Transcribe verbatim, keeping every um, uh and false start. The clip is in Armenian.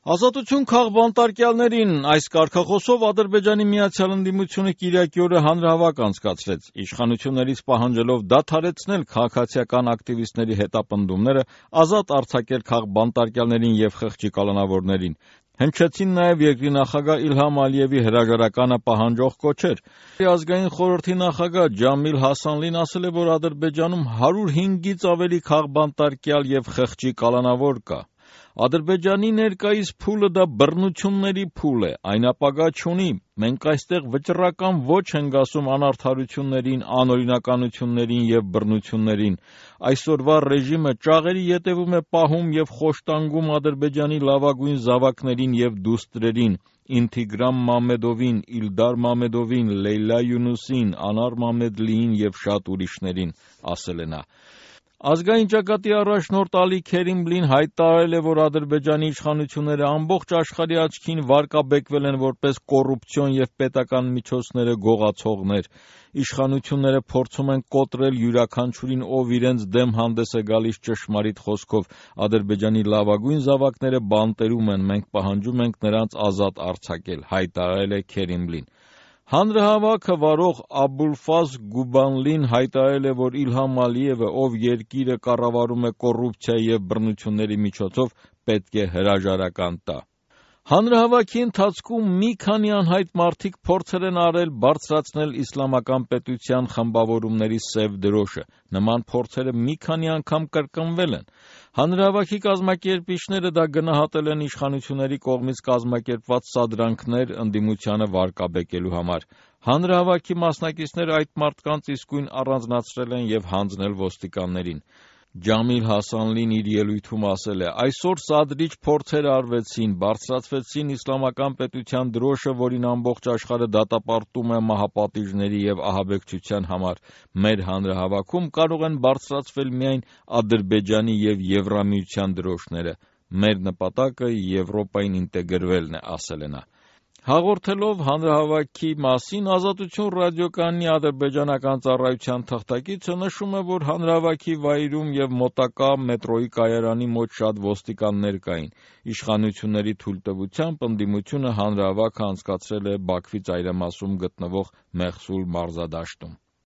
Ազատություն քաղբանտարկյալներին այս կարգախոսով Ադրբեջանի Միացյալ Ընդդիմությունը կիրակի օրը հանրահավաք անցկացրեց, իշխանություններից պահանջելով դադարեցնել քաղաքացիական ակտիվիստների հետապնդումները, ազատ արձակել քաղբանտարկյալներին և խղճի կալանավորներին։ Հնչեցին նաև երկրի նախագահ Իլհամ Ալիևի հրաժարականը պահանջող կոչեր։ Ազգային խորհրդի նախագահ Ջամիլ Հասանլին ասել է, որ Ադրբեջանում հարյուր հինգից ավելի քաղբանտարկյալ և խղճի կալանավոր կա։ Ադրբեջանի ներկայիս փուլը դա բռնությունների փուլ է, այն ապագա չունի։ Մենք այստեղ վճռական ոչ ենք ասում անարդարություններին, անօրինականություններին և բռնություններին։ Այսօրվա ռեժիմը ճաղերի ետևում է պահում և խոշտանգում Ադրբեջանի լավագույն զավակներին և դուստրերին՝ Ինթիգրամ Մամեդովին, Իլդար Մամեդովին, Լեյլա Յունուսին, Անար Մամեդլիին և շատ ուրիշներին, ասել է նա։ Ազգային ճակատի առաջնորդ Ալի Քերիմլին հայտարարել է, որ Ադրբեջանի իշխանությունները ամբողջ աշխարհի աչքին վարկաբեկվել են որպես կոռուպցիոն և պետական միջոցները գողացողներ։ Իշխանությունները փորձում են կոտրել յուրաքանչյուրին, ով իրենց դեմ հանդես է գալիս ճշմարիտ խոսքով։ Ադրբեջանի լավագույն զավակները բանտերում են, մենք պահանջում ենք նրանց ազատ արձակել, հայտարարել է Քերիմլին։ Հանրահավաքը վարող Աբուլֆազլ Գուբանլին հայտարարել է, որ Իլհամ Ալիևը, ով երկիրը կառավարում է կոռուպցիայի և բռնությունների միջոցով, պետք է հրաժարական տա։ Հանրահավաքի ընթացքում մի քանի անհայտ մարդիկ փորձել են արել բարձրացնել իսլամական պետության խմբավորումների սև դրոշը։ Նման փորձերը մի քանի անգամ կրկնվել են։ Հանրահավաքի կազմակերպիչները դա գնահատել են իշխանությունների կողմից կազմակերպված սադրանքներ ընդդիմությանը վարկաբեկելու համար։ Հանրահավաքի մասնակիցները այդ մարդկանց իսկույն առանձնացրել են և հանձնել ոստիկաններին։ Ջամիլ Հասանլին իր ելույթում ասել է. «Այսօր սադրիչ փորձեր արվեցին, բարձրացվեցին իսլամական պետության դրոշը, որին ամբողջ աշխարհը դատապարտում է մահապատիժների և ահաբեկչության համար։ Մեր հանրահավաքում կարող են բարձրացվել միայն Ադրբեջանի և Եվրամիության դրոշները։ Մեր նպատակը Եվրոպային ինտեգրվելն է», ասել է նա։ Հաղորդելով հանրահավաքի մասին Ազատություն ռադիոկայանի ադրբեջանական ծառայության թղթակիցը նշում է, որ հանրահավաքի վայրում և մոտակա մետրոյի կայարանի մոտ շատ ոստիկաններ կային։ Իշխանությունների թույլտվությամբ ընդդիմությունը հանրահավաքը անցկացրել է Բաքվի ծայրամասում գտնվող Մեհսուլ մարզադաշտում։